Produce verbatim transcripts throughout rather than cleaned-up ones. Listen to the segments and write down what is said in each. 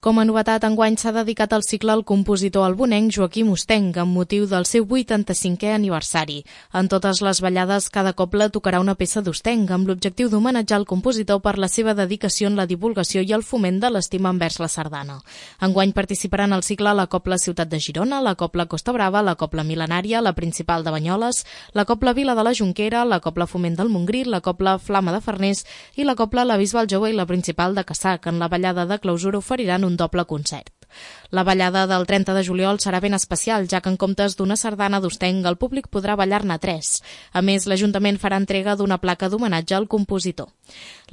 Com a novetat, enguany s'ha dedicat el cicle al compositor albonenc Joaquim Ostenc, amb motiu del seu vuitanta-cinquè aniversari. En totes les ballades, cada cobla tocarà una peça d'Ostenc, amb l'objectiu d'homenatjar el compositor per la seva dedicació en la divulgació i el foment de l'estima envers la sardana. Enguany participaran al cicle la Cobla Ciutat de Girona, la Cobla Costa Brava, la Cobla Mil·lenària, la Principal de Banyoles, la Cobla Vila de la Jonquera, la Cobla Foment del Montgrí, la Cobla Flama de Farners i la Cobla La Bisbal Jove i la Principal de Cassà, que en la ballada de clausura oferiran un doble concert. La ballada del trenta de juliol serà ben especial, ja que en comptes d'una sardana d'Ostenc, el públic podrà ballar-ne tres. A més, l'Ajuntament farà entrega d'una placa d'homenatge al compositor.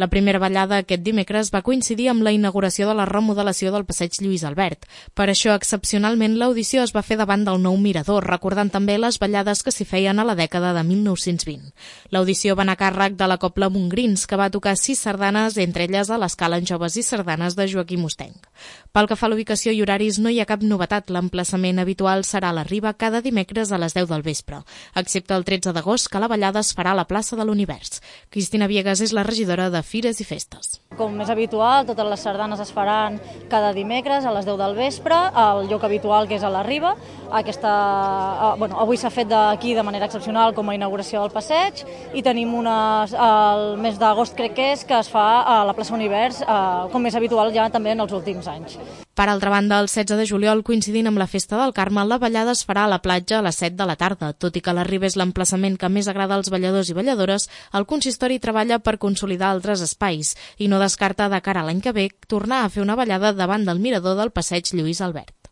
La primera ballada aquest dimecres va coincidir amb la inauguració de la remodelació del passeig Lluís Albert. Per això, excepcionalment, l'audició es va fer davant del nou mirador, recordant també les ballades que s'hi feien a la dècada de mil nou-cents vint. L'audició va anar a càrrec de la Cobla Montgrins, que va tocar sis sardanes, entre elles a l'escala en joves i sardanes de Joaquim Ostenc. Pel que fa a l'ubicació i horaris, no hi ha cap novetat. L'emplaçament habitual serà a la Riba cada dimecres a les deu del vespre, excepte el tretze d'agost, que la ballada es farà a la plaça de l'Univers. Cristina Viegas és la regidora de Fires i Festes. Com és habitual, totes les sardanes es faran cada dimecres a les deu del vespre, al lloc habitual que és a la Riba. Aquesta, bueno, avui s'ha fet d'aquí de manera excepcional com a inauguració del passeig i tenim una, el mes d'agost crec que és, que es fa a la plaça Univers, com és habitual ja també en els últims anys. Per altra banda, el setze de juliol, coincidint amb la Festa del Carme, la ballada es farà a la platja a les set de la tarda. Tot i que la Riba és l'emplaçament que més agrada als balladors i balladores, el consistori treballa per consolidar altres espais i no descarta de cara a l'any que ve tornar a fer una ballada davant del mirador del passeig Lluís Albert.